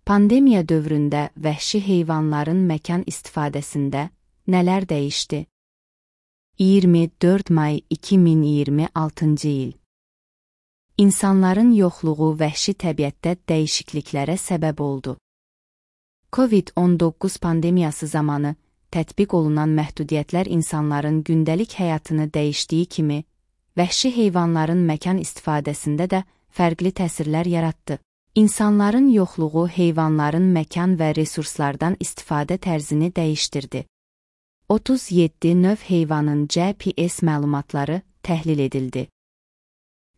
Pandemiya dövründə vəhşi heyvanların məkan istifadəsində nələr dəyişdi? 24 may 2026-cı il. İnsanların yoxluğu vəhşi təbiətdə dəyişikliklərə səbəb oldu. COVID-19 pandemiyası zamanı tətbiq olunan məhdudiyyətlər insanların gündəlik həyatını dəyişdiyi kimi, vəhşi heyvanların məkan istifadəsində də fərqli təsirlər yaratdı. İnsanların yoxluğu heyvanların məkan və resurslardan istifadə tərzini dəyişdirdi. 37 növ heyvanın GPS məlumatları təhlil edildi.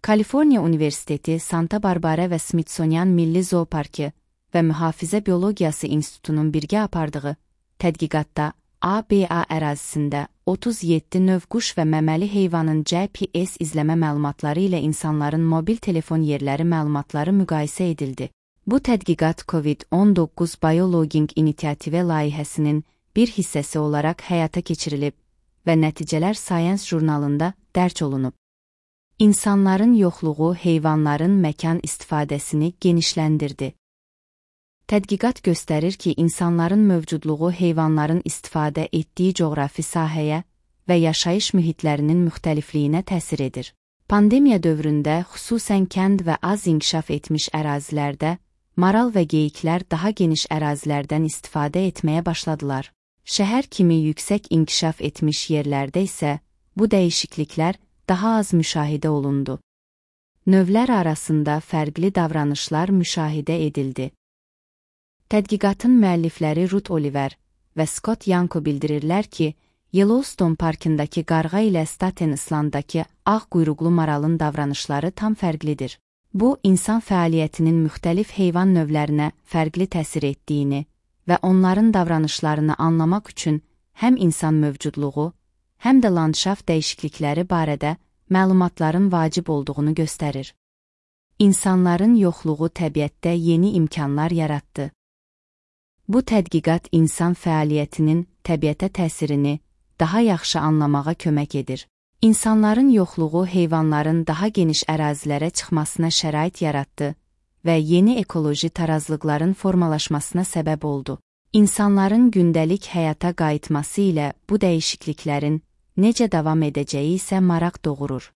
Kaliforniya Universiteti, Santa Barbara və Smithsonian Milli Zooparkı və Mühafizə Biologiyası İnstitutunun birgə apardığı tədqiqatda ABA ərazisində 37 növ quş və məməli heyvanın GPS izləmə məlumatları ilə insanların mobil telefon yerləri məlumatları müqayisə edildi. Bu tədqiqat COVID-19 Biologging İnisiative layihəsinin bir hissəsi olaraq həyata keçirilib və nəticələr Science jurnalında dərc olunub. İnsanların yoxluğu heyvanların məkan istifadəsini genişləndirdi. Tədqiqat göstərir ki, insanların mövcudluğu heyvanların istifadə etdiyi coğrafi sahəyə və yaşayış mühitlərinin müxtəlifliyinə təsir edir. Pandemiya dövründə xüsusən kənd və az inkişaf etmiş ərazilərdə maral və geyiklər daha geniş ərazilərdən istifadə etməyə başladılar. Şəhər kimi yüksək inkişaf etmiş yerlərdə isə bu dəyişikliklər daha az müşahidə olundu. Növlər arasında fərqli davranışlar müşahidə edildi. Tədqiqatın müəllifləri Ruth Oliver və Scott Yanko bildirirlər ki, Yellowstone parkındakı qarğa ilə Staten Islanddakı ağ quyruqlu maralın davranışları tam fərqlidir. Bu, insan fəaliyyətinin müxtəlif heyvan növlərinə fərqli təsir etdiyini və onların davranışlarını anlamaq üçün həm insan mövcudluğu, həm də landşaft dəyişiklikləri barədə məlumatların vacib olduğunu göstərir. İnsanların yoxluğu təbiətdə yeni imkanlar yaratdı. Bu tədqiqat insan fəaliyyətinin təbiətə təsirini daha yaxşı anlamağa kömək edir. İnsanların yoxluğu heyvanların daha geniş ərazilərə çıxmasına şərait yaratdı və yeni ekoloji tarazlıqların formalaşmasına səbəb oldu. İnsanların gündəlik həyata qayıtması ilə bu dəyişikliklərin necə davam edəcəyi isə maraq doğurur.